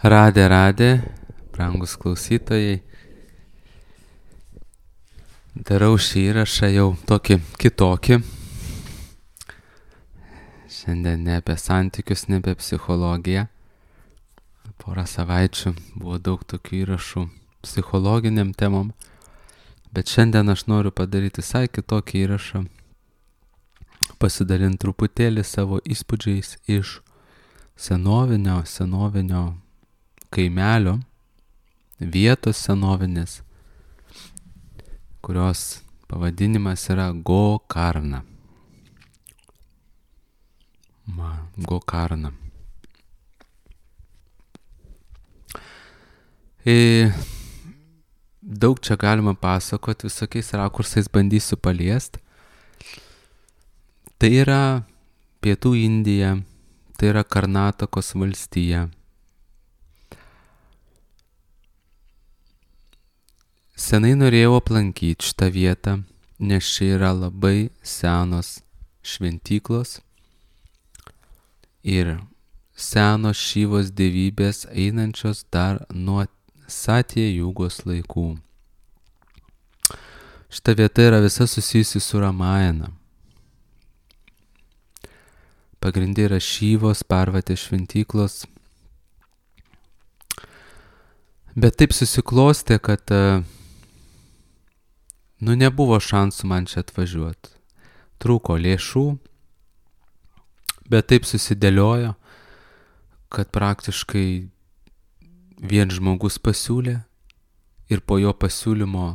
Radė, brangus klausytojai. Darau šį įrašą jau tokį kitokį. Šiandien ne apie santykius, ne apie psichologiją. Porą savaičių buvo daug tokių įrašų psichologiniam temom. Bet šiandien aš noriu padaryti visai kitokį įrašą. Pasidalinti truputėlį savo įspūdžiais iš senovinio kaimelio, vietos senovinės, kurios pavadinimas yra Gokarna. Gokarna. Daug čia galima pasakoti, visokiais rakursais bandysiu paliest. Tai yra Pietų Indija, tai yra Karnatakos valstija. Senai norėjau aplankyti šitą vietą, nes čia yra labai senos šventyklos ir senos Šyvos dievybės einančios dar nuo Satya Jugos laikų. Šita vieta yra visa susijusi su Ramayana. Pagrindė yra Šyvos, Parvatės šventyklos. Bet taip susiklostė, kad nebuvo šansų man čia atvažiuoti. Trūko lėšų, bet taip susidėliojo, kad praktiškai vien žmogus pasiūlė ir po jo pasiūlymo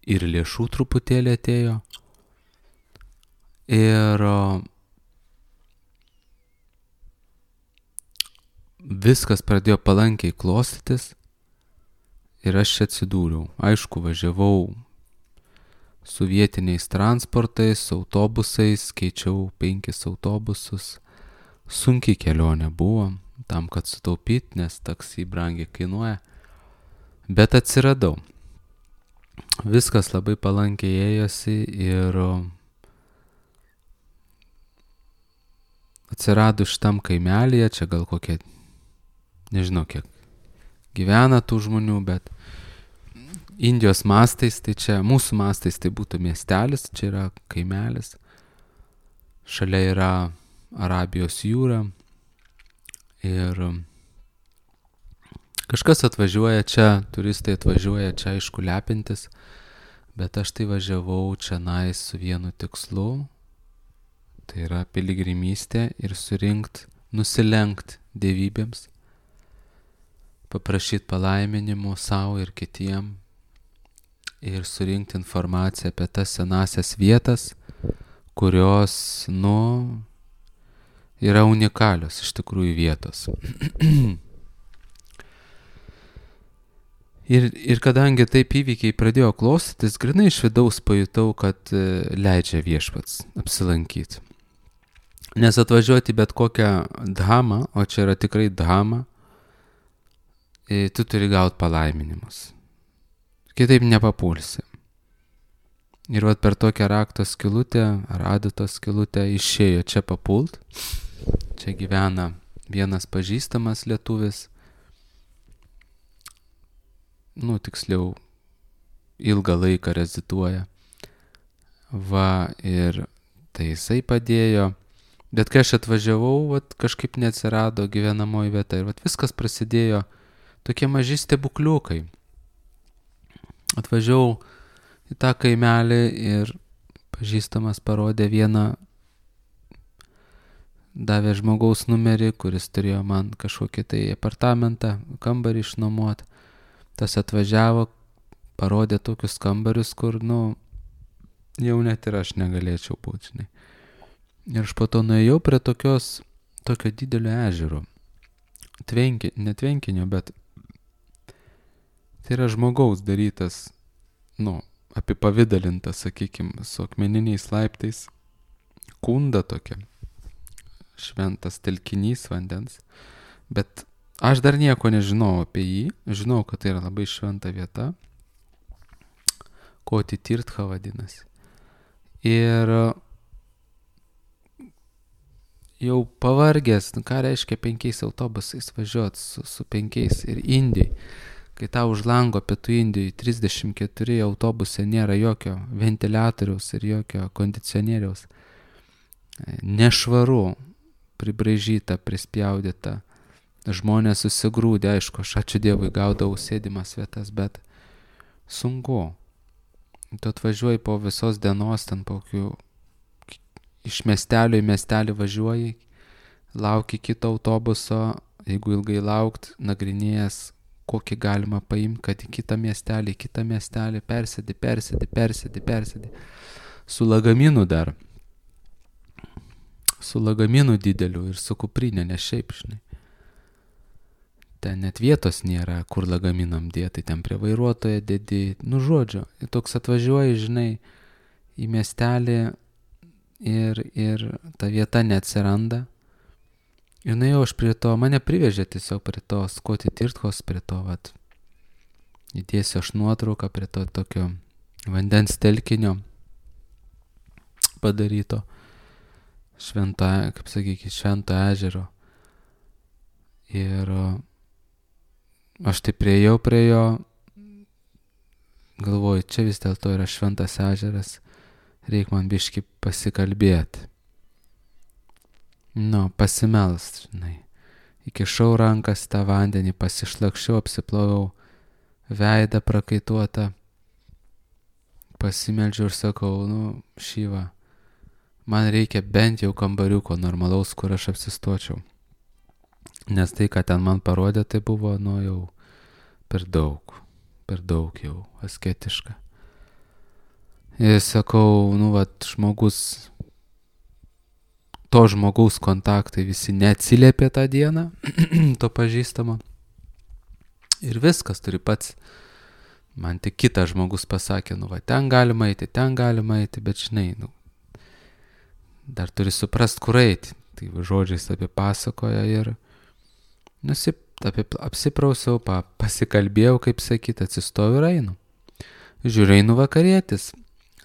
ir lėšų truputėlį atėjo. Ir viskas pradėjo palankiai klostytis ir aš čia atsidūriau. Aišku, važiavau su vietiniais transportais, autobusais, keičiau 5 autobusus. Sunkiai kelionė buvo, tam, kad sutaupyti, nes taksi brangiai kainuoja. Bet atsiradau. Viskas labai palankiai ėjosi ir atsirado šitam kaimelėje, čia gal kokie, nežinau kiek gyvena tų žmonių, bet Indijos mastais, tai čia mūsų mastais tai būtų miestelis, čia yra kaimelis. Šalia yra Arabijos jūra ir kažkas atvažiuoja čia, turistai atvažiuoja čia aišku lepintis, bet aš tai važiavau čionais su vienu tikslu, tai yra piligrimystė ir nusilenkt dievybėms, paprašyti palaiminimų savo ir kitiem ir surinkti informaciją apie tas senasias vietas, kurios, yra unikalios iš tikrųjų vietos. Ir kadangi taip įvykiai pradėjo klostytis, grinai iš vidaus pajutau, kad leidžia viešpats apsilankyti. Nes atvažiuoti bet kokią dhamą, o čia yra tikrai dhama, tu turi gauti palaiminimus. Kitaip nepapulsi. Ir vat per tokią rakto skylutę, ar adatos skylutę išėjo čia papult. Čia gyvena vienas pažįstamas lietuvis. Tiksliau, ilgą laiką reziduoja. Ir tai jisai padėjo. Bet kai aš atvažiavau, kažkaip neatsirado gyvenamoji vieta. Ir viskas prasidėjo tokie maži stebukliukai. Atvažiavau į tą kaimelį ir pažįstamas parodė davė žmogaus numerį, kuris turėjo man kažkokį tai apartamentą, kambarį išnuomot. Tas atvažiavo, parodė tokius kambarius, kur, jau net ir aš negalėčiau būti, žinai. Ir aš po to nuėjau prie tokio didelio ežero. Ne tvenkinio, bet tai yra žmogaus darytas, apipavidalintas, sakykime, su akmeniniais laiptais, kunda tokia, šventas telkinys vandens, bet aš dar nieko nežinau apie jį, žinau, kad tai yra labai šventa vieta, Koti Tirtha vadinasi. Ir jau pavargęs, nu ką reiškia 5 autobusais važiuoti su 5 ir Indijai. Kai tau už lango pietų Indijai 34 autobuse nėra jokio ventiliatoriaus ir jokio kondicionieriaus. Nešvaru, pribraižyta, prispjaudyta. Žmonės susigrūdė, aišku, aš ačiū Dievui gaudavau sėdimas vietas, bet sunku. Tu atvažiuoji po visos dienos, ten po kokių iš miestelio į miestelį važiuoji, lauki kito autobuso, jeigu ilgai laukt, nagrinėjęs, kokį galima paimti, kad į kitą miestelį, persėdi. Su lagaminu dar. Su lagaminu dideliu ir su kuprinė, ne šiaip, žinai. Ten net vietos nėra, kur lagaminam dėti, ten prie vairuotojo dėdi, nu žodžiu. Ir toks atvažiuoji, žinai, į miestelį ir ta vieta neatsiranda. Ir nuėjau aš prie to, mane privežė tiesiog prie to Skoti Tirtkos, prie to, vat, įdėsiu aš nuotrauką prie to tokio vandens telkinio padaryto, švento ežero. Ir aš tai priėjau prie jo, galvoju, čia vis dėlto yra šventas ežeras, reik man biškį pasikalbėti. Pasimelst, žinai. Įkišau rankas tą vandenį, pasišlakščiau, apsiploviau veidą prakaituotą, pasimeldžiau ir sakau, šyva, man reikia bent jau kambariuko normalaus, kur aš apsistočiau. Nes tai, ką ten man parodė, tai buvo, jau per daug jau asketiška. Ir sakau, to žmogaus kontaktai visi neatsiliepė tą dieną, to pažįstamo. Ir viskas turi pats. Man tik kitas žmogus pasakė, ten galima eiti, bet žinai, dar turi suprast, kur eiti. Tai žodžiais apie pasakoja ir apsiprausiau, pasikalbėjau, kaip sakyt, atsistoju ir einu. Žiūrėjau, einu vakarietis.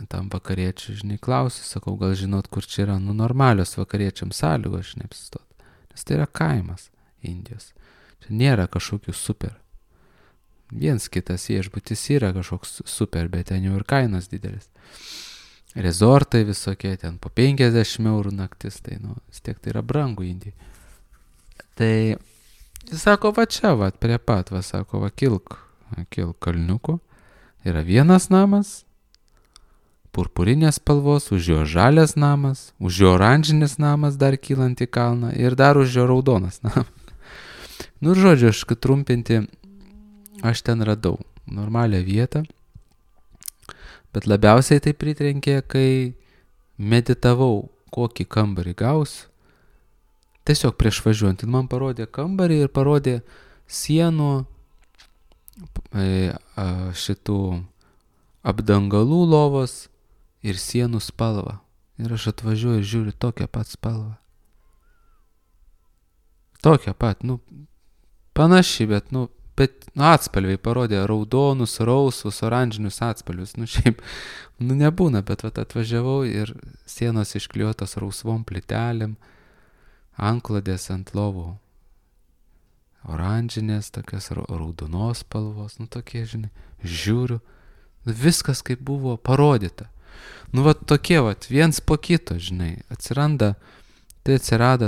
Tam vakariečiui, žinai, klausiu, sakau, gal žinot, kur čia yra, normalios vakariečiams sąlygos, žinai, apsistot. Nes tai yra kaimas Indijos. Čia nėra kažkokių super. Viens kitas viešbutis yra kažkoks super, bet ten jau ir kainos didelis. Rezortai visokie, ten po 50 eurų naktis, tai, vis tiek tai yra brangu Indijai. Tai, jis sako, va čia, prie pat, sako, kilk kalniuku, yra vienas namas, purpurinės spalvos, už jo žalias namas, už jo oranžinis namas dar kylant į kalną ir dar už jo raudonas namas. Žodžiu, aš trumpinti, aš ten radau normalią vietą, bet labiausiai tai pritrenkė, kai meditavau, kokį kambarį gausiu. Tiesiog prieš važiuojant, man parodė kambarį ir parodė sienų šitų apdangalų lovos ir sienų spalvą. Ir aš atvažiuoju ir žiūriu tokią pat spalvą. Tokią pat, panaši, bet atspalviai parodė raudonus, rausvus, oranžinius atspalvius. Šiaip, nebūna, bet atvažiavau ir sienos išklijuotos rausvom plytelėm, antklodės ant lovų oranžinės, tokios raudonos spalvos, tokie, žinai, žiūriu, viskas kaip buvo parodyta. Tokie, viens po kito, žinai, atsirado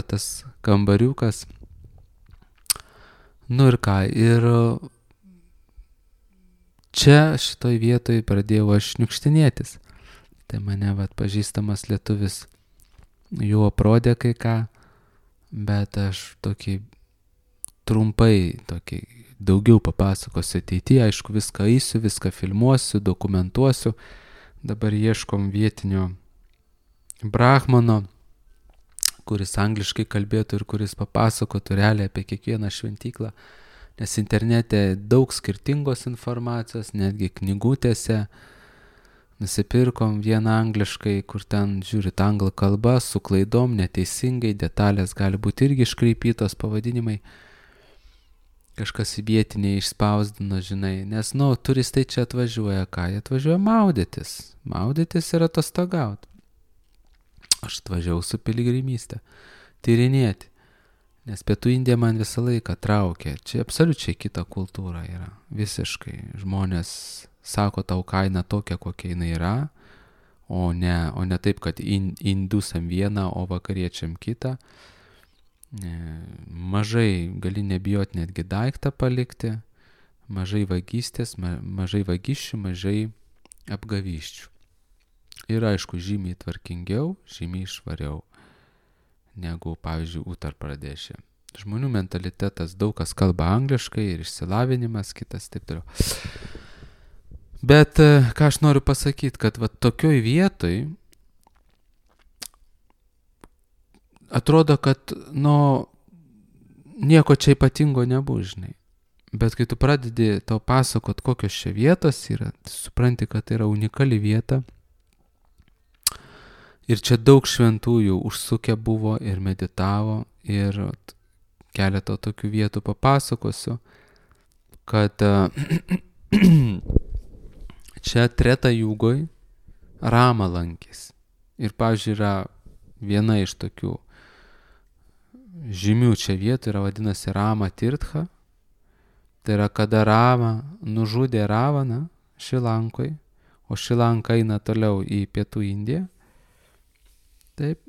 tas kambariukas. Ir ką, ir čia šitoj vietoj pradėjau aš šniukštinėtis. Tai mane, pažįstamas lietuvis jau aprodė kai ką, bet aš trumpai daugiau papasakosiu ateityje, aišku, viską eisiu, viską filmuosiu, dokumentuosiu. Dabar ieškom vietinio brahmano, kuris angliškai kalbėtų ir kuris papasakotų realiai apie kiekvieną šventyklą, nes internete daug skirtingos informacijos, netgi knygutėse. Nusipirkom vieną angliškai, kur ten žiūrit anglų kalba, su klaidom, neteisingai, detalės gali būti irgi iškreipytos, pavadinimai. Kažkas vietiniai išspausdino, žinai, nes, turistai čia atvažiuoja, jie atvažiuoja maudytis ir atostogauti. Aš atvažiavau su piligrimystė. tyrinėti. Nes Pietų Indija man visą laiką traukė. Čia absoliučiai kita kultūra yra. Visiškai. Žmonės sako tau kainą tokią, kokia jinai yra, o ne taip, kad indusam vieną, o vakariečiam kitą. Mažai gali nebijoti netgi daiktą palikti, mažai vagystės, mažai vagysčių, mažai apgavyščių. Ir aišku, žymiai tvarkingiau, žymiai švariau negu, pavyzdžiui, Utar Pradešė. Žmonių mentalitetas, daug kas kalba angliškai ir išsilavinimas, kitas taip toliau. Bet ką aš noriu pasakyti, kad va tokioj vietoj atrodo, kad nieko čia ypatingo nebus, žinai. Bet kai tu pradedi tau pasakot, kokios čia vietos yra, supranti, kad tai yra unikali vieta. Ir čia daug šventųjų užsukę buvo ir meditavo. Ir keletą tokių vietų papasakosiu, kad čia Treta Jugoj Rama lankėsi. Ir, pavyzdžiui, yra viena iš tokių žymių čia vietų, yra vadinasi Rama Tirtha. Tai yra, kada Rama nužudė Ravaną Šrilankoj, o Šrilanka eina toliau į Pietų Indiją. Taip,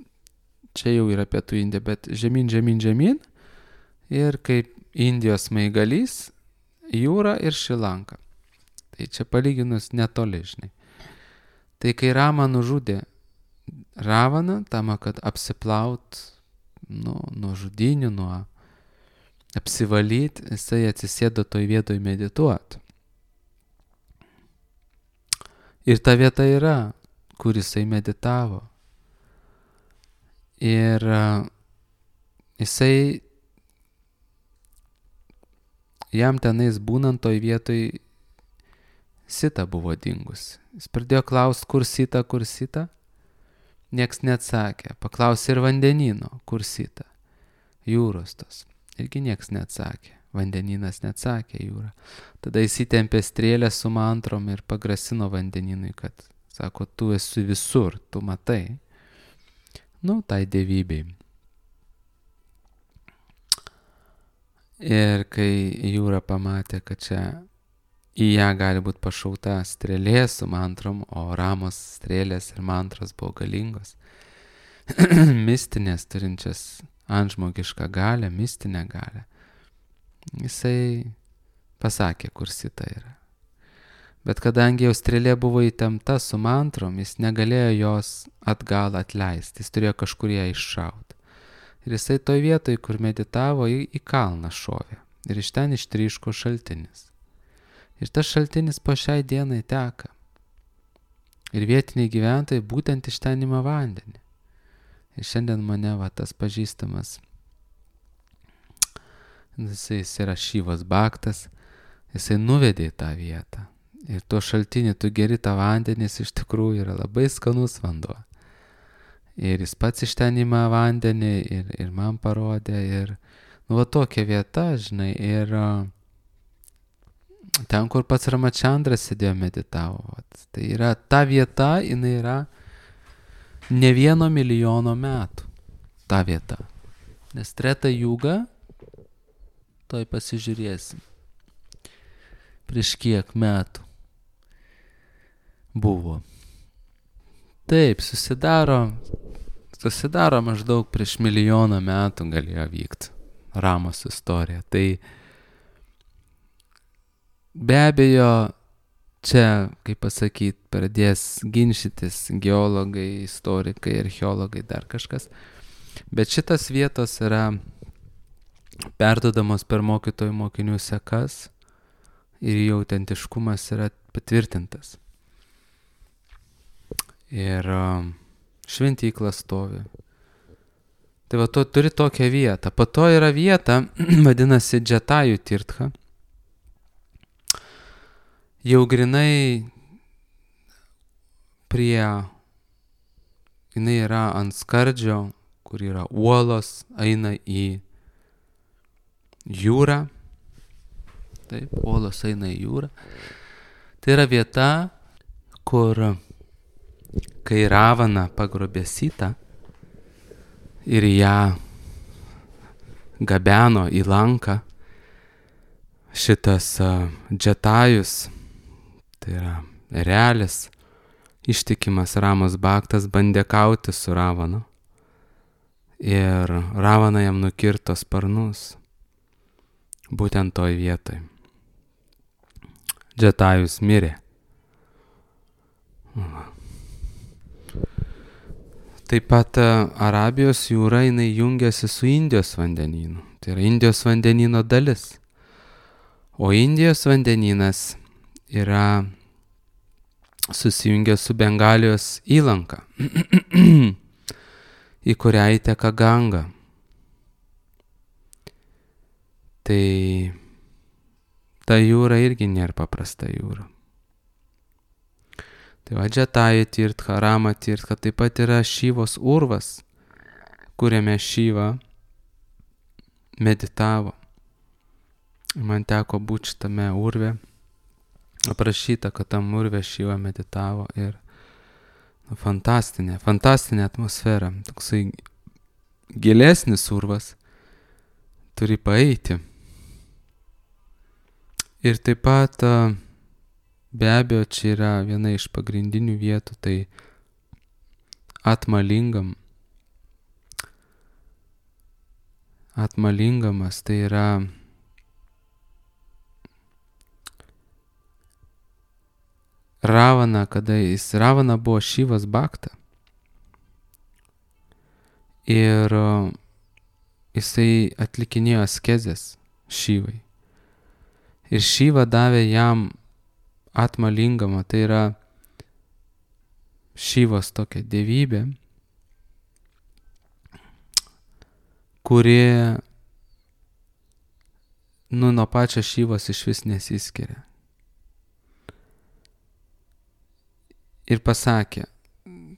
čia jau yra Pietų Indija, bet žemyn. Ir kaip Indijos smaigalys, jūra ir Šrilanka. Tai čia palyginus netoli, žinai. Tai kai Rama nužudė Ravaną, tam, kad apsiplaut nuo žudynių, nuo apsivalyti, jisai atsisėdo toj vietoj medituoti. Ir ta vieta yra, kur jisai meditavo. Ir jisai, jam tenais būnant toj vietoj, Sita buvo dingus. Jis pradėjo klausti, kur Sita. Nieks neatsakė. Paklausė ir vandenino, kur Sita. Jūros tos. Irgi nieks neatsakė. Vandeninas neatsakė, jūra. Tada įsitempė strėlę su mantrom ir pagrasino vandeninui, kad, sako, tu esi visur, tu matai. Tai dievybei. Ir kai jūra pamatė, kad čia į ją gali būti pašauta strėlė su mantrom, o Ramos strėlės ir mantros buvo galingos, mistinės, turinčias antžmogišką galią, mistinę galią, jisai pasakė, kur Sita yra. Bet kadangi jau strėlė buvo įtempta su mantrom, jis negalėjo jos atgal atleisti, jis turėjo kažkur ją iššauti. Ir jisai toj vietoj, kur meditavo, į kalną šovė. Ir iš ten ištryško šaltinis. Ir tas šaltinis po šiai dienai teka. Ir vietiniai gyventojai būtent iš ten ima vandenį. Ir šiandien mane tas pažįstamas, jisai yra Šyvas Bhaktas, jisai nuvedė į tą vietą. Ir tuo šaltinį tu geri tą vandenį, iš tikrųjų yra labai skanus vanduo. Ir jis pats iš ten ima vandenį ir man parodė. Ir tokia vieta, žinai, ir ten, kur pats Ramachandras sėdėjo meditavo. Tai yra ta vieta, jinai yra ne 1 milijono metų. Ta vieta. Nes Treta Juga, toj pasižiūrėsim, prieš kiek metų buvo. Taip, susidaro maždaug prieš 1 milijoną metų galėjo vykti Ramos istorija. Tai be abejo, čia, kaip pasakyti, pradės ginčytis geologai, istorikai, archeologai, dar kažkas. Bet šitas vietos yra perduodamos per mokytojų mokinių sekas ir jų autentiškumas yra patvirtintas. Ir šventykla stovi. Tai va, turi tokią vietą. Po to yra vieta, vadinasi Džatajų Tirtha. Jau grinai jinai yra ant skardžio, kur yra uolos, eina į jūrą. Taip, uolos eina į jūrą. Tai yra vieta, kur kai Ravana pagrobė Sitą ir ją gabeno į Lanką. Šitas Džetajus, tai yra erelis, ištikimas Ramos Bhaktas, bandė kauti su Ravanu. Ir Ravana jam nukirto sparnus. Būtent toj vietoj. Džetajus mirė. Taip pat Arabijos jūra jinai jungiasi su Indijos vandenynu. Tai yra Indijos vandenyno dalis. O Indijos vandenynas yra susijungęs su Bengalijos įlanka, į kurią įteka Ganga. Tai ta jūra irgi nėra paprasta jūra. Tai va Džetaja Tirtha, Rama Tirtha, taip pat yra Šyvos urvas, kuriame Šyva meditavo. Man teko būti šitame urve, aprašyta, kad tam urve Šyva meditavo ir fantastinė atmosfera, toksai gilesnis urvas, turi paeiti. Ir taip pat be abejo čia yra viena iš pagrindinių vietų, tai Atmalingamas, tai yra Ravana, Ravana buvo Šyvas Bhakta. Ir jisai atlikinėjo askezes Šyvai. Ir Šyva davė jam Atmalingamą, tai yra Šyvos tokia dievybė, kuri nuo pačio Šyvos išvis nesiskiria. Ir pasakė,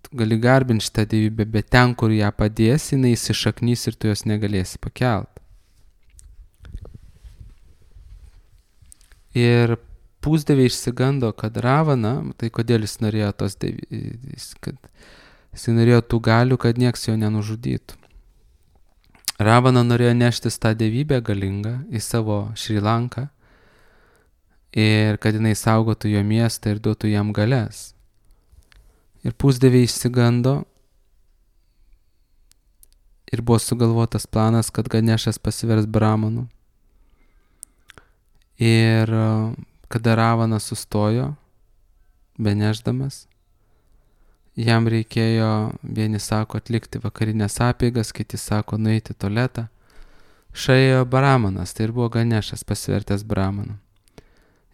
tu gali garbinti šitą dievybę, bet ten, kur ją padėsi, jinai įsišaknys ir tu jos negalėsi pakelt. Ir pusdieviai išsigando, kad Ravana, tai kodėl jis norėjo jis norėjo tų galių, kad nieks jo nenužudytų. Ravana norėjo neštis tą dievybę galingą į savo Šri Lanką ir kad jinai saugotų jo miestą ir duotų jam galias. Ir pusdieviai išsigando ir buvo sugalvotas planas, kad Ganešas pasivers Brahmanu. Ir kada Ravana sustojo, benešdamas, jam reikėjo, vieni sako, atlikti vakarinės apeigas, kiti sako, nueiti į tualetą. Šaėjo Brahmanas, tai ir buvo Ganešas pasivertęs Brahmanu.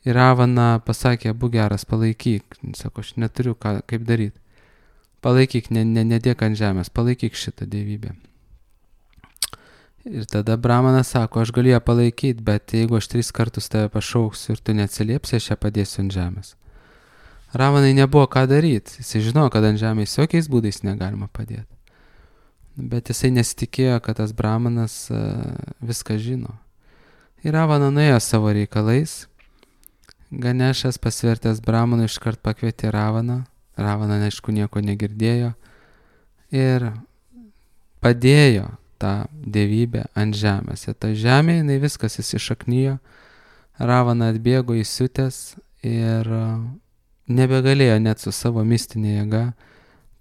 Ir Ravana pasakė, būk geras, palaikyk. Sako, aš neturiu kaip daryti. Palaikyk, nedėk ant žemės, palaikyk šitą dievybę. Ir tada Brahmanas sako, aš galiu ją palaikyti, bet jeigu aš 3 kartus tave pašauksiu ir tu neatsiliepsi, aš ją padėsiu ant žemės. Ravanai nebuvo ką daryti. Jisai žinojo, kad ant žemės jokiais būdais negalima padėti. Bet jisai nesitikėjo, kad tas Brahmanas viską žino. Ir Ravana nuėjo savo reikalais. Ganešas pasvertęs Brahmanu iškart pakvietė Ravaną. Ravana, aišku, nieko negirdėjo. Ir padėjo tą dievybę ant žemės. Ir ta žemė, jinai viskas įsišaknijo. Ravana atbėgo įsiutęs ir nebegalėjo net su savo mistinė jėga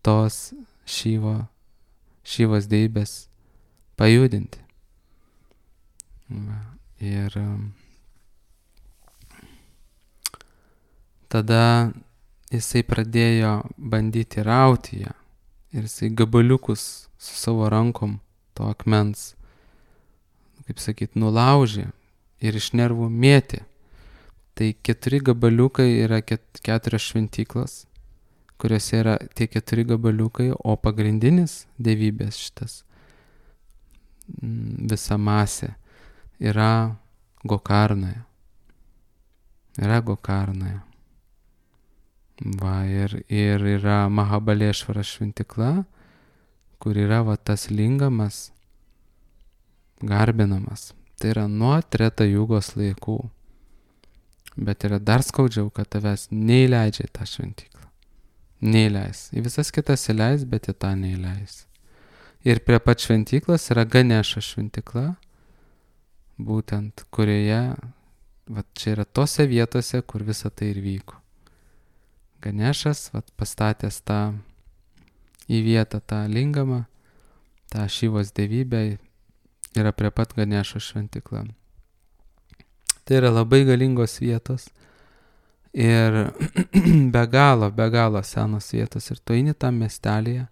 tos Šyvos dievybės pajudinti. Ir tada jisai pradėjo bandyti rauti ją. Ir jisai gabaliukus su savo rankom to akmens, kaip sakyt, nulaužė ir iš nervų mėtė. Tai 4 gabaliukai yra 4 šventyklos, kuriuose yra tie 4 gabaliukai, o pagrindinis dievybės šitas visa masė yra Gokarnoje. Va, ir yra Mahabalešvara šventikla, kur yra va tas lingamas garbinamas. Tai yra nuo Treta Jugos laikų. Bet yra dar skaudžiau, kad tavęs neįleidžia į tą šventiklą. Neįleis. Į visas kitas įleis, bet į tą neįleis. Ir prie pat šventiklos yra Ganešo šventikla, būtent kurioje, vat čia yra tose vietose, kur visa tai ir vyko. Ganešas, vat pastatęs tą į vietą tą lingamą, tą Šivos dievybę, yra prie pat Ganešo šventykla. Tai yra labai galingos vietos ir be galo senos vietos. Ir tu eini tam miestelėje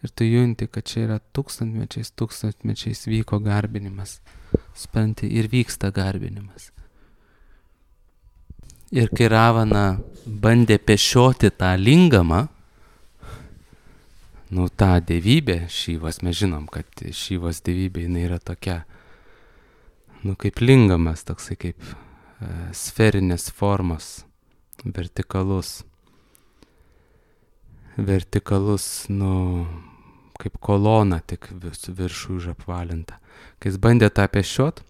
ir tu junti, kad čia yra tūkstantmečiais vyko garbinimas. Supranti, ir vyksta garbinimas. Ir kai Ravana bandė pešioti tą lingamą, tą dievybę Šivos, mes žinom, kad Šivos dievybė jinai yra tokia, kaip lingamas, toksai kaip sferinės formos, vertikalus, kaip kolona, tik viršų užapvalinta. Kai jis bandė tą pešiot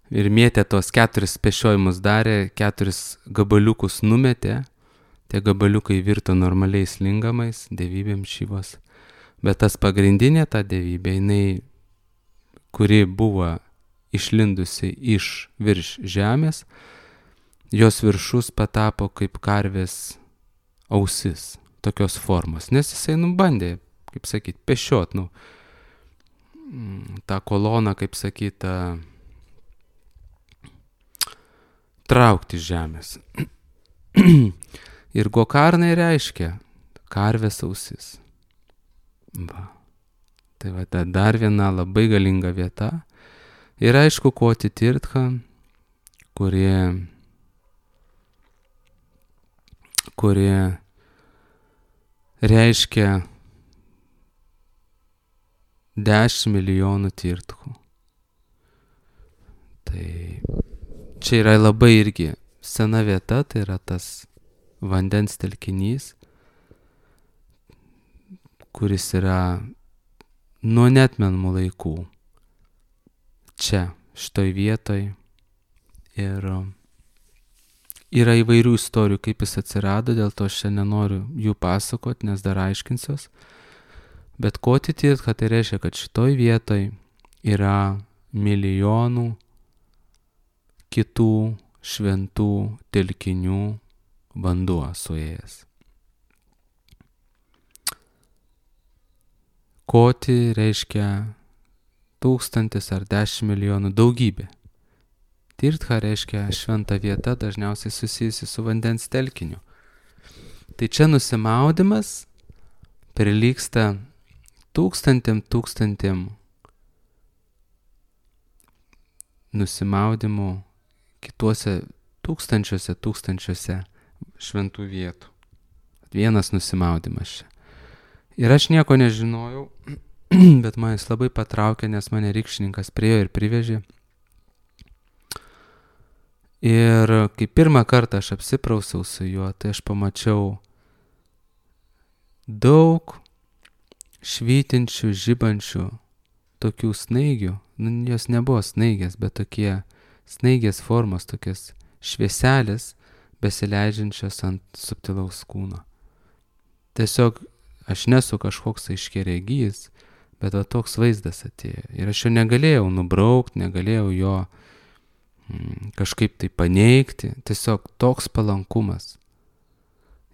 ir mėtė tos 4 pešiojimus darė, 4 gabaliukus numetė, tie gabaliukai virto normaliais lingamais, dievybėm Šivos. Bet tas pagrindinė ta dievybė, jinai, kuri buvo išlindusi iš virš žemės, jos viršus patapo kaip karvės ausis, tokios formos. Nes jisai bandė, kaip sakyt, pešiot, tą koloną, kaip sakyt, traukti iš žemės. Ir gokarnai reiškia karvės ausis. Va. Tai va, dar viena labai galinga vieta. Ir aišku, Koti Tirtha, kurie reiškia 10 milijonų tirthų. Tai čia yra labai irgi sena vieta, tai yra tas vandens telkinys, kuris yra nuo neatmenamų laikų čia, šitoj vietoj. Ir yra įvairių istorijų, kaip jis atsirado, dėl to aš čia nenoriu jų pasakot, nes dar aiškinsiuos. Bet Koti Tirtha tai reiškia, kad šitoj vietoj yra milijonų kitų šventų telkinių vanduo suėjęs. Koti reiškia 1000 ar 10 milijonų, daugybė. Tirtha reiškia šventa vieta, dažniausiai susijusi su vandens telkiniu. Tai čia nusimaudimas prilygsta tūkstantiem nusimaudimų kituose tūkstančiuose šventų vietų. Vienas nusimaudimas čia. Ir aš nieko nežinojau, bet man jis labai patraukė, nes mane rykščininkas priėjo ir privežė. Ir kai pirmą kartą aš apsiprausiau su juo, tai aš pamačiau daug švytinčių, žibančių tokių snaigių. Jos nebuvo snaigės, bet tokie snaigės formos, tokias švieselės besileidžiančios ant subtilaus kūno. Tiesiog aš nesu kažkoks aiškiaregys, bet va toks vaizdas atėjo. Ir aš jo negalėjau nubraukti, negalėjau jo kažkaip tai paneigti. Tiesiog toks palankumas.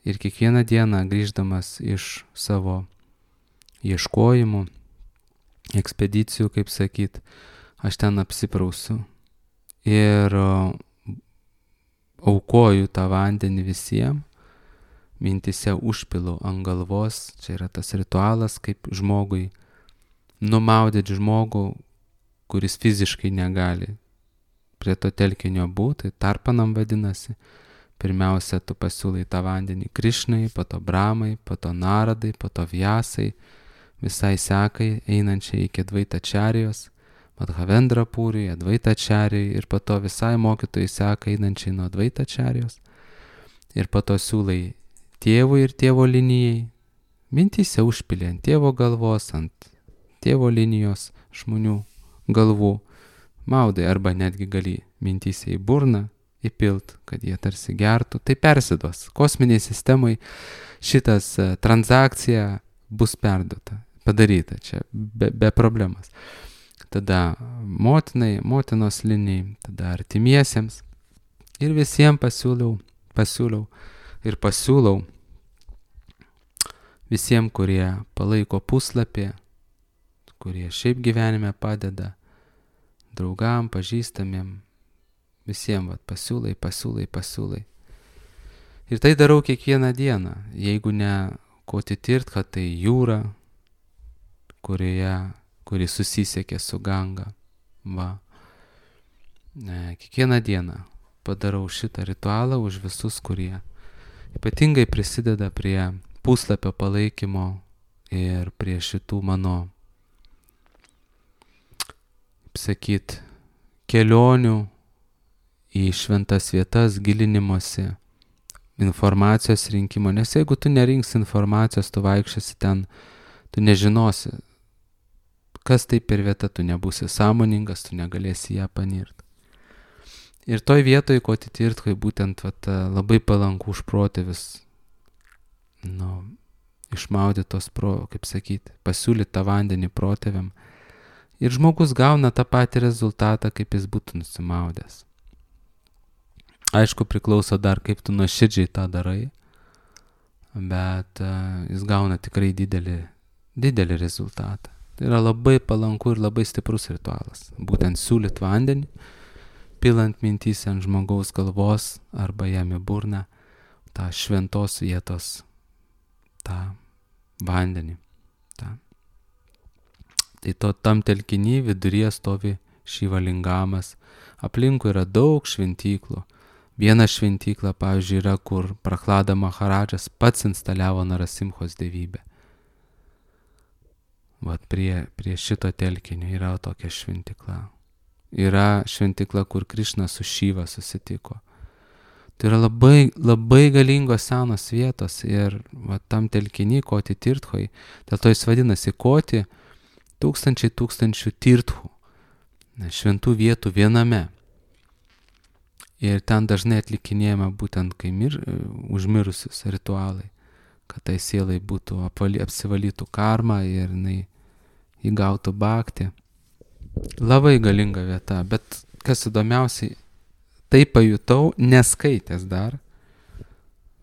Ir kiekvieną dieną grįždamas iš savo ieškojimų, ekspedicijų, kaip sakyt, aš ten apsiprausiu ir aukoju tą vandenį visiems, mintise užpilu ant galvos. Čia yra tas ritualas, kaip žmogui numaudyti žmogų, kuris fiziškai negali prie to telkinio būti, tarpanam vadinasi. Pirmiausia, tu pasiūlai tą vandenį Krišnai, po to Brahmai, po to Naradai, po to Vyasai, visai sekai einančiai iki Dvaitačarijos, Madhavendra Pūriui, Advaitačarijui ir po to visai mokytojai seka einančiai nuo Dvaitačarijos. Ir po to siūlai tėvui ir tėvo linijai, mintyse užpilė ant tėvo galvos, ant tėvo linijos žmonių galvų, maudai arba netgi gali mintyse į burną įpilt, kad jie tarsi gertų. Tai persiduos. Kosminiai sistemai šitas transakcija bus perduota, padaryta čia be problemas. tada motinai, motinos linijai, tada artimiesiems. Ir visiems pasiūliau visiems, kurie palaiko puslapį, kurie šiaip gyvenime padeda, draugam, pažįstamiem, visiems pasiūlai. Ir tai darau kiekvieną dieną, jeigu ne Koti-Tirtha, tai jūra, kuri susisiekė su Ganga. Kiekvieną dieną padarau šitą ritualą už visus, kurie ypatingai prisideda prie puslapio palaikymo ir prie šitų mano, sakyt, kelionių į šventas vietas, gilinimosi, informacijos rinkimo. Nes jeigu tu nerinksi informacijos, tu vaikščiasi ten, tu nežinosi, kas tai per vieta, tu nebūsi sąmoningas, tu negalėsi ją panirti. Ir toj vietoj, Koti-Tirthai, būtent labai palanku už protėvius, išmaudytos, kaip sakyti, pasiūlyti tą vandenį protėviam. Ir žmogus gauna tą patį rezultatą, kaip jis būtų nusimaudęs. Aišku, priklauso dar, kaip tu nuoširdžiai tą darai, bet jis gauna tikrai didelį rezultatą. Tai yra labai palanku ir labai stiprus ritualas. Būtent siūlyt vandenį, pilant mintyse ant žmogaus galvos arba jam į burną tą šventos vietos, tą vandenį. Tai tam telkiny viduryje stovi Šiva lingamas. Aplinkui yra daug šventyklų. Viena šventykla, pavyzdžiui, yra, kur Prahlada Maharadžas pats instaliavo Narasimhos dievybę. Prie šito telkinio yra tokia šventykla. Yra šventykla, kur Krišna su Šiva susitiko. Tai yra labai, labai galingos senos vietos ir tam telkiny Koti-Tirthoj, dėl to jis vadinasi Koti, tūkstančių tirthų, šventų vietų viename. Ir ten dažnai atlikinėjama būtent kai užmirusius ritualai, kad tai sielai būtų apsivalytų karma ir jinai įgautų bhakti. Labai galinga vieta, bet kas įdomiausiai, tai pajutau, neskaitęs dar,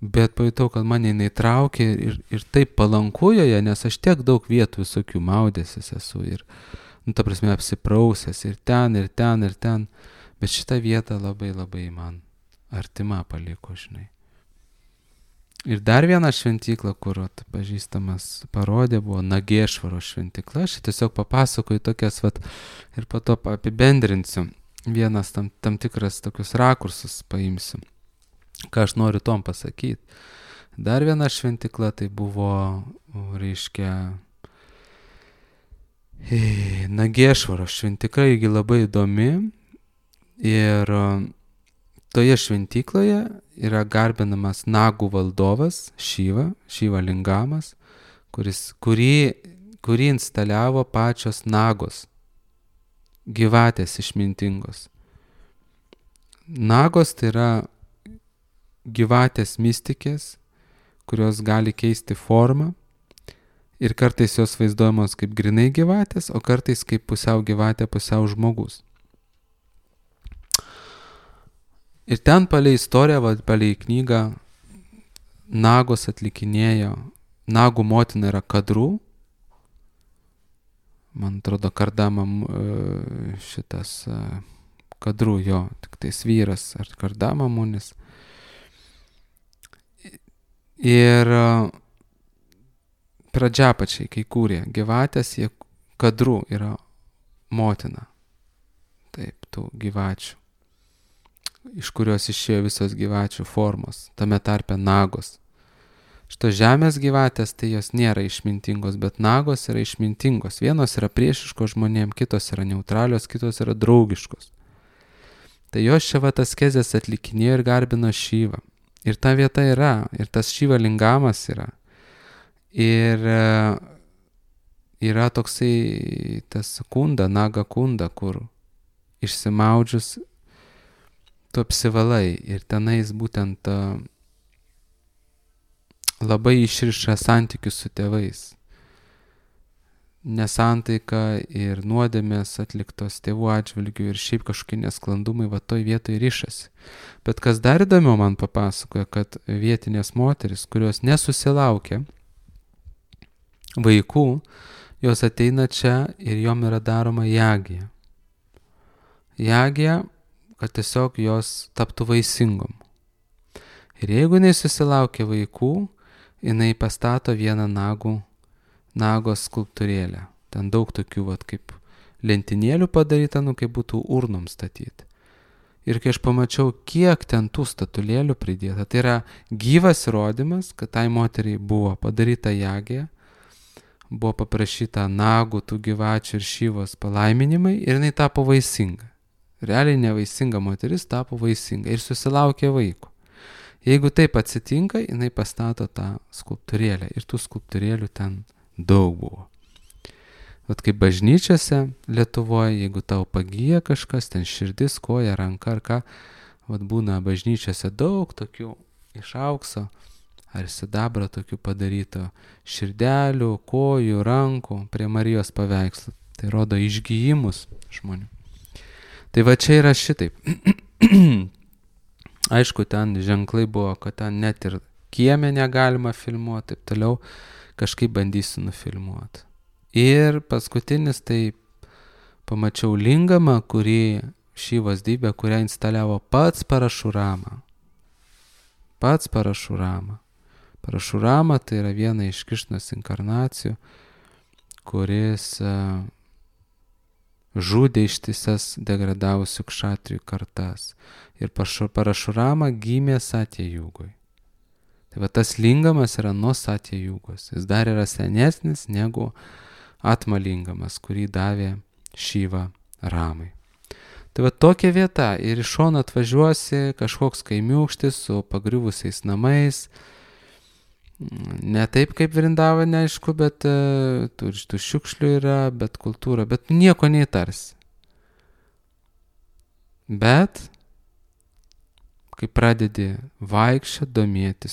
bet pajutau, kad mane jinai traukė ir taip palanku joje, nes aš tiek daug vietų visokių maudęsis esu ir, ta prasme, apsiprausęs ir ten, bet šitą vietą labai labai man artima paliko, žinai. Ir dar viena šventykla, kur pažįstamas parodė, buvo Nagešvaro šventykla. Aš tiesiog papasakoju tokias, ir po to apibendrinsiu. Vienas tam tikras tokius rakursus paimsiu, ką aš noriu tom pasakyti. Dar viena šventykla tai buvo, reiškia, Nagešvaro šventykla, irgi labai įdomi. Ir toje šventykloje yra garbinamas Nagų valdovas Šiva lingamas, kurį instaliavo pačios Nagos, gyvatės išmintingos. Nagos tai yra gyvatės mistikės, kurios gali keisti formą ir kartais jos vaizduojamos kaip grinai gyvatės, o kartais kaip pusiau gyvatė, pusiau žmogus. Ir ten palei istoriją, palei knygą, Nagos atlikinėjo, Nagų motina yra Kadru, man atrodo, Kardamam šitas Kadru, jo, tik tais vyras, ar Kardamamunis. Ir pradžiapačiai, kai kūrė gyvatės, Kadru yra motina, taip, tų gyvačių, iš kurios išėjo visos gyvačių formos, tame tarpe Nagos. Šitos žemės gyvatės, tai jos nėra išmintingos, bet Nagos yra išmintingos. Vienos yra priešiškos žmonėm, kitos yra neutralios, kitos yra draugiškos. Tai jos čia askezės atlikinėjo ir garbino Šyvą. Ir ta vieta yra, ir tas Šiva lingamas yra. Ir yra toksai tas kunda, Naga kunda, kur išsimaudžius tu apsivalai ir tenais būtent labai išriša santykius su tėvais. nesantaika ir nuodėmės atliktos tėvų atžvilgių ir šiaip kažkokie nesklandumai va toj vietoj rišasi. Bet kas dar įdomiau man papasakoja, kad vietinės moteris, kurios nesusilaukia vaikų, jos ateina čia ir jom yra daroma jagija. Jagija, kad tiesiog jos taptų vaisingom. Ir jeigu jinai susilaukia vaikų, jinai pastato vieną nagos skulptūrėlę. Ten daug tokių, kaip lentynėlių padaryta, kaip būtų urnom statyti. Ir kai aš pamačiau, kiek ten tų statulėlių pridėta, tai yra gyvas įrodymas, kad tai moteriai buvo padaryta jagija, buvo paprašyta nagų, tų gyvačių ir šyvos palaiminimai ir jinai tapo vaisinga. Realiai nevaisinga moteris tapo vaisinga ir susilaukė vaiko. Jeigu taip atsitinka, jinai pastato tą skulptūrėlę ir tų skulptūrėlių ten daug buvo. Vat kaip bažnyčiose Lietuvoje, jeigu tau pagyja kažkas, ten širdis, koja, ranka ar ką, vat būna bažnyčiose daug tokių iš aukso ar sidabro tokių padaryto širdelių, kojų, rankų prie Marijos paveikslų. Tai rodo išgijimus žmonių. Tai va čia yra šitaip. Aišku, ten ženklai buvo, kad ten net ir kieme negalima filmuoti, taip toliau, kažkaip bandysiu nufilmuoti. Ir paskutinis, tai pamačiau lingamą, kurį Šyvos dybė, kurią instaliavo pats Parašurama. Pats Parašurama. Parašurama tai yra viena iš Krišnos inkarnacijų, kuris žudė ištisas degradavusių kšatrijų kartas. Ir Parašurama gimė Satya Jugoj. Tai va tas lingamas yra nuo Satya Jugos. Jis dar yra senesnis negu Atma lingamas, kurį davė Šyva Ramai. Tai va tokia vieta ir iš šono atvažiuosi kažkoks kaimiūkštis su pagriuvusiais namais. Ne taip kaip Vrindavane, aišku, bet tų šiukšlių yra, bet kultūra, bet nieko neįtarsi. Bet kai pradedi vaikščioti, domėti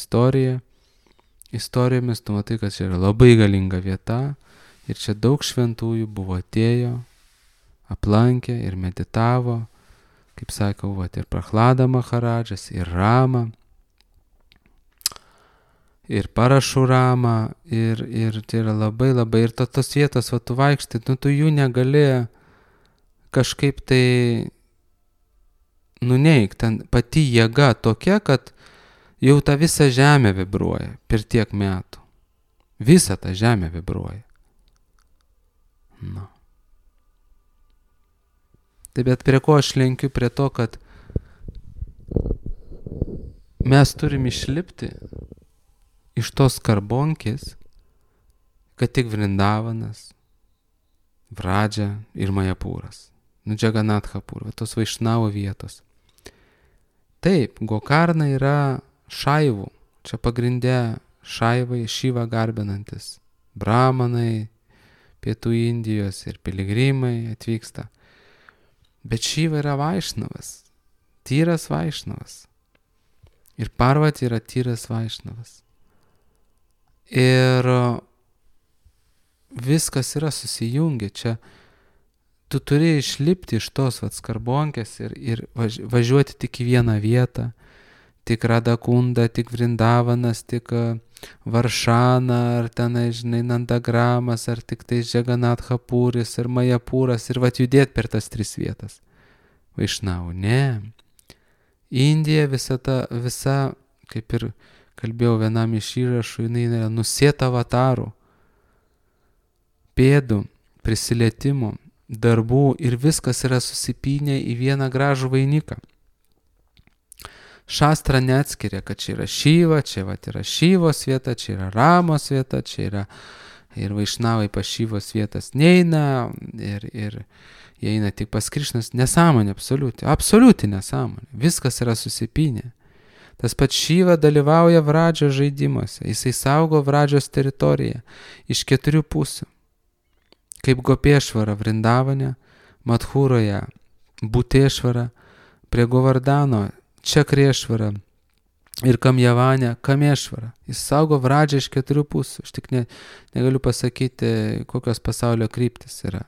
istorijomis, tu matai, kad čia yra labai galinga vieta ir čia daug šventųjų buvo atėjo, aplankė ir meditavo, kaip sakau, ir Prahlada Maharadžas, ir Rama, ir Parašurama, ir tai yra labai, ir tos vietos, tu vaikštai, tu jų negali kažkaip tai nuneik, ten pati jėga tokia, kad jau ta visa žemė vibruoja per tiek metų. Visa ta žemė vibruoja. Na. Tai bet prie ko aš lenkiu? Prie to, kad mes turim išlipti iš tos karbonkės, kad tik Vrindavanas, Vradža ir Majapūras. Džaganatkhapur, tos Vaišnavo vietos. Taip, Gokarna yra šaivų, čia pagrindė šaivai, Šyvą garbinantis, bramanai, pietų Indijos ir piligrimai atvyksta. Bet Šyva yra Vaišnavas, tyras Vaišnavas. Ir Parvati yra tyras Vaišnavas. Ir viskas yra susijungę čia. Tu turi išlipti iš tos skarbonkės ir važiuoti tik į vieną vietą. Tik Radakunda, tik Vrindavanas, tik Varšana, ar tenai, žinai, Nandagramas, ar tik tai Džaganathapuris, ir Majapūras, ir judėti per tas 3 vietas. Vaišnavų, ne. Indija visa, kaip ir kalbėjau vienam iš įrašų, jinai yra nusėta avatarų, pėdų, prisilietimų, darbų ir viskas yra susipynę į vieną gražų vainiką. Šastra neatskiria, kad čia yra Šyva, čia yra Šyvos vieta, čia yra Ramos vieta, čia yra ir Vaišnavai pas Šyvos vietas neina ir jie eina tik pas Krišnas. Nesąmonė, absoliuti nesąmonė. Viskas yra susipynę. Tas pats Šyva dalyvauja Vradžio žaidimuose, jisai saugo Vradžios teritoriją iš 4 pusių. Kaip Gopėšvara Vrindavane, Madhūroje Būtėšvara, prie Govardano Čakriešvara, ir Kamjavanė Kamešvara. Jis saugo Vradžią iš 4 pusių. Aš tik negaliu pasakyti, kokios pasaulio kryptis yra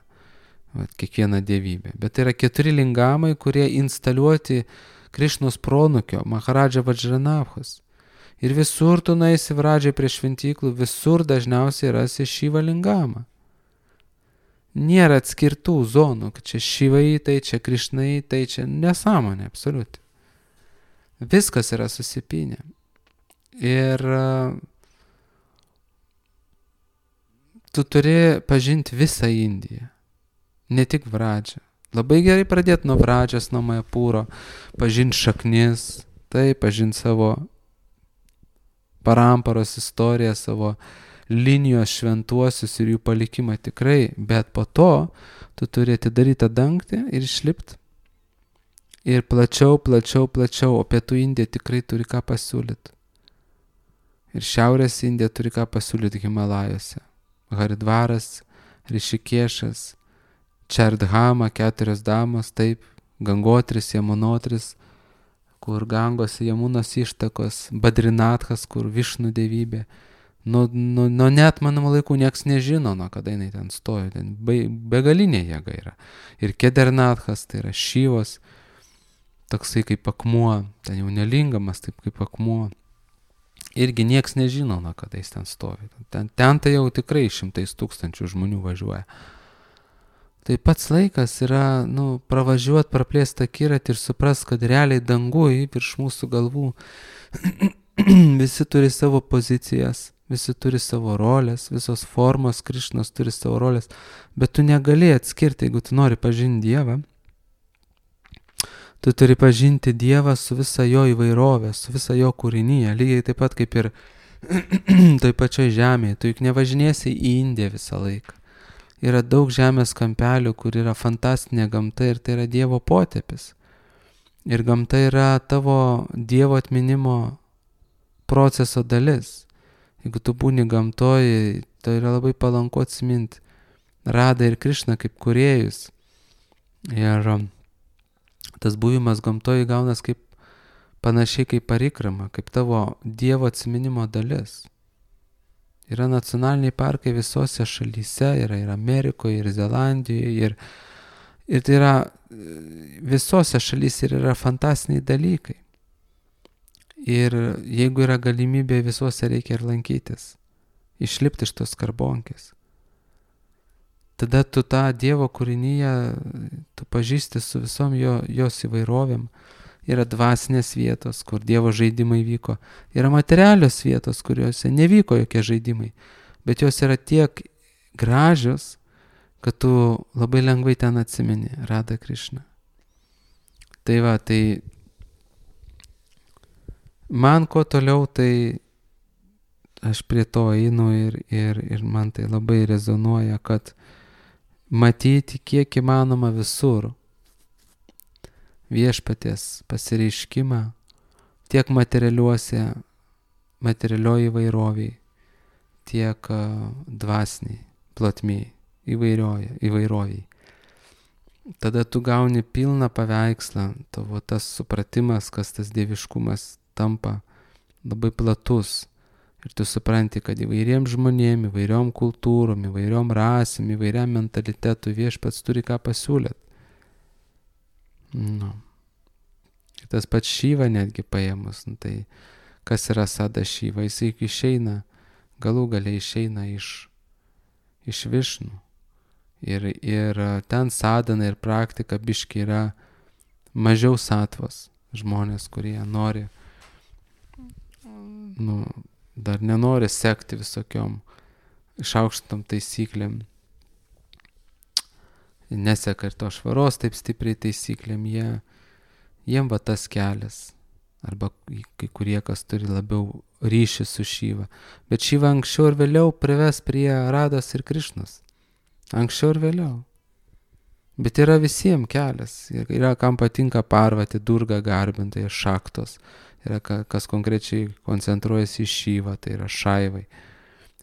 kiekviena dievybė. Bet tai yra 4 lingamai, kurie instaliuoti Krišnos pronukio, Maharadža Vajranavhas. Ir visur tu nueisi Vradžiai prie šventyklų, visur dažniausiai rasi Šyva lingamą. Nėra atskirtų zonų, kad čia Šyvai, tai čia Krišnai, tai čia nesąmonė, absoliuti. Viskas yra susipynę. Ir tu turi pažinti visą Indiją, ne tik Vradžią. Labai gerai pradėti nuo Vradžios, nuo Majapūro, pažinti šaknis, tai pažinti savo paramparos istoriją, savo linijos šventuosius ir jų palikimą tikrai, bet po to tu turi atidaryti dangtį ir išlipti. Ir plačiau, o pietų Indija tikrai turi ką pasiūlyti. Ir šiaurės Indija turi ką pasiūlyti Himalajose. Haridvaras, Rišikešas, Čardhama, 4 damos, taip, Gangotris, Jamunotris, kur Gangos Jamunos ištakos, Badrinathas, kur Višnų dievybė. Nuo neatmanamų laikų nieks nežino, nuo kada jinai ten stojo, ten begalinė jėga yra. Ir Kedarnathas, tai yra Šyvos, toksai kaip akmuo, ten jau nelingamas, taip kaip akmuo. Irgi nieks nežino, nuo kada jis ten stovi. Ten tai jau tikrai 100 tūkstančių žmonių važiuoja. Tai pats laikas yra, pravažiuoti, praplėsti akiratį ir supras, kad realiai dangui virš mūsų galvų visi turi savo pozicijas, visi turi savo rolės, visos formos Krišnos turi savo rolės, bet tu negali atskirti, jeigu tu nori pažinti Dievą. Tu turi pažinti Dievą su visa jo įvairovė, su visa jo kūrinyje, lygiai taip pat kaip ir toj pačioj žemėje. Tu juk nevažinėsi į Indiją visą laiką. Yra daug žemės kampelių, kur yra fantastinė gamta ir tai yra Dievo potėpis. Ir gamta yra tavo Dievo atminimo proceso dalis. Jeigu tu būni gamtoje, tai yra labai palanku atsiminti Radą ir Krišną kaip kūrėjus. Ir tas buvimas gamtoje gaunas kaip panašiai kaip parikrama, kaip tavo Dievo atsiminimo dalis. Yra nacionaliniai parkai visose šalyse, yra ir Amerikoje, ir Zelandijoje, ir tai yra visose šalyse ir yra fantastiniai dalykai. Ir jeigu yra galimybė, visuose reikia ir lankytis, išlipti iš tos karbonkės. Tada tu tą Dievo kūrinyje, tu pažįsti su visom jos įvairovėm. Yra dvasinės vietos, kur Dievo žaidimai vyko. Yra materialios vietos, kuriuose nevyko jokie žaidimai. Bet jos yra tiek gražios, kad tu labai lengvai ten atsimeni Radą Krišną. Tai va, tai man ko toliau, tai aš prie to einu ir man tai labai rezonuoja, kad matyti kiek įmanoma visur viešpaties pasireiškimą tiek materialioji įvairoviai, tiek dvasiniai, plotmiai, įvairoviai. Tada tu gauni pilną paveikslą, tavo tas supratimas, kas tas dieviškumas tampa labai platus. Ir tu supranti, kad įvairiem žmonėm, įvairiom kultūrom, įvairiom rasėm, įvairiam mentalitetu viešpats turi ką pasiūlyti. Ir tas pats Šyva netgi paėmus, tai kas yra Sada Šyva, jisai išeina, galų galiai išeina iš Višnų. Ir ten sadana ir praktika biški yra mažiau satvos žmonės, kurie nori, dar nenori sekti visokiom išaukštom taisyklėm. Neseka ir to švaros taip stipriai taisyklėm, jiem va tas kelias. Arba kai kurie, kas turi labiau ryšį su Šyva. Bet Šyva anksčiau ir vėliau prives prie Rados ir Krišnos. Anksčiau ir vėliau. Bet yra visiems kelias. Yra kam patinka Parvati, Durga garbintai, šaktos. Yra kas konkrečiai koncentruojasi į Šyvą, tai yra Šaivai.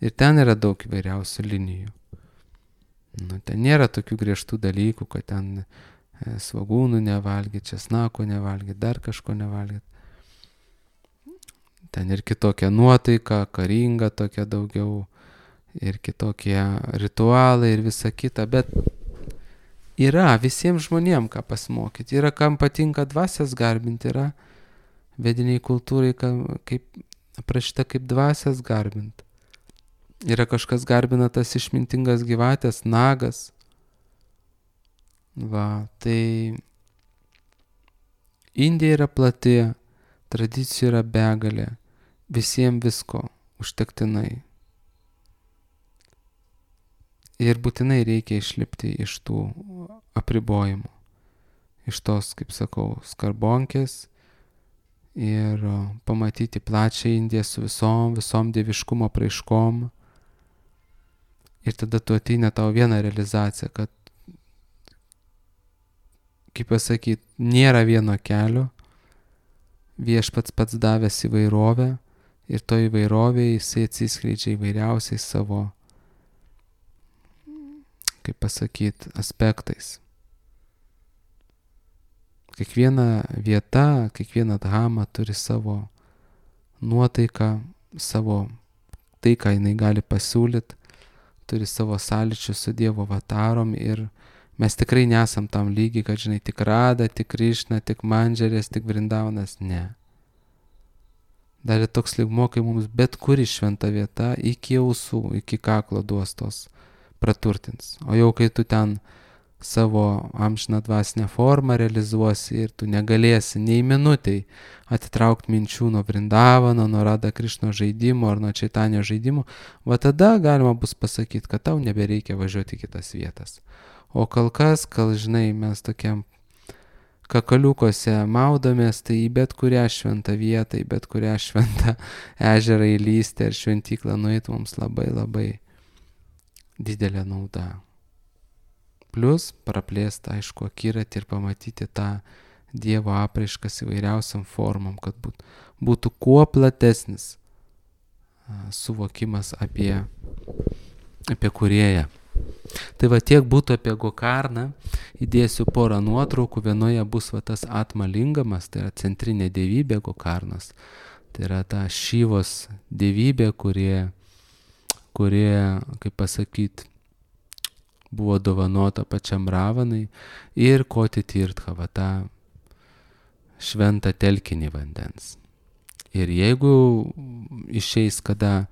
Ir ten yra daug įvairiausių linijų. Ten nėra tokių griežtų dalykų, kad ten svogūnų nevalgyti, česnako nevalgyti, dar kažko nevalgyti. ten ir kitokia nuotaika, karinga tokia daugiau, ir kitokie ritualai ir visa kita, bet yra visiems žmonėms ką pasimokyti, yra kam patinka dvasias garbinti, yra vediniai kultūrai, kaip aprašyta kaip dvasias garbinti. Yra kažkas garbina tas išmintingas gyvatės, nagas. Va, tai Indija yra plati, tradicijų yra begalė, visiems visko užtektinai. Ir būtinai reikia išlipti iš tų apribojimų, iš tos, kaip sakau, skarbonkės ir pamatyti plačią Indiją su visom dieviškumo praiškom. Ir tada tu ateina tau vieną realizaciją, kad, kaip pasakyti, nėra vieno kelio, viešpats pats davęs įvairovę ir to įvairovėje jisai atsiskleidžia įvairiausiais savo, kaip pasakyti, aspektais. Kiekviena vieta, kiekviena dhama turi savo nuotaiką, savo tai, ką jinai gali pasiūlyti, turi savo sąlyčius su Dievo avatarom ir mes tikrai nesam tam lygiai, kad žinai, tik Rada, tik Krišna, tik Mandžerės, tik Vrindavanas, ne. Dar ir toks lygmuo, kai mums bet kuri šventa vieta iki ausų, iki kaklo duos tos praturtins. O jau kai tu ten savo amžiną dvasinę formą realizuosi ir tu negalėsi nei minutei atitraukti minčių nuo Vrindavano, nuo Rada Krišno žaidimo ar nuo Čaitanio žaidimo, va tada galima bus pasakyti, kad tau nebereikia važiuoti į kitas vietas. O kol kas, žinai, mes tokiam kakaliukose maudomės, tai į bet kurią šventą vietą, į bet kurią šventą ežerą įlysti ar šventyklą nueiti mums labai labai didelė nauda. Plius praplėsti, aišku, akiratį ir pamatyti tą Dievo apraiškas įvairiausiam formom, kad būtų kuo platesnis suvokimas apie Kūrėją. Tai va tiek būtų apie Gokarną. Įdėsiu porą nuotraukų. Vienoje bus va tas Atmalingamas, tai yra centrinė dievybė Gokarnos. Tai yra ta Šyvos dievybė, kurie, kaip pasakyti, buvo dovanota pačiam Ravanai, ir Koti Tirtha, va tą šventą telkinį vandens. Ir jeigu išeis kada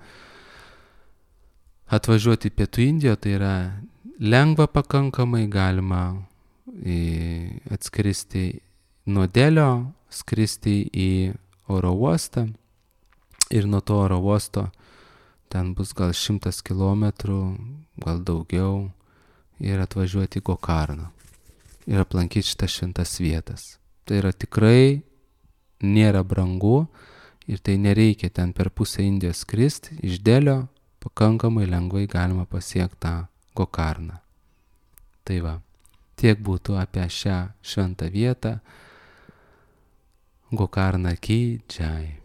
atvažiuoti į Pietų Indiją, tai yra lengva pakankamai, galima atskristi nuo Delio, skristi į oro uostą ir nuo to oro uosto ten bus gal 100 kilometrų, gal daugiau, ir atvažiuoti į Gokarną ir aplankyti šitas šventas vietas. Tai yra tikrai nėra brangu ir tai nereikia ten per pusę Indijos skristi, iš Delio pakankamai lengvai galima pasiekti tą Gokarną. Tai va, tiek būtų apie šią šventą vietą. Gokarna ki jai.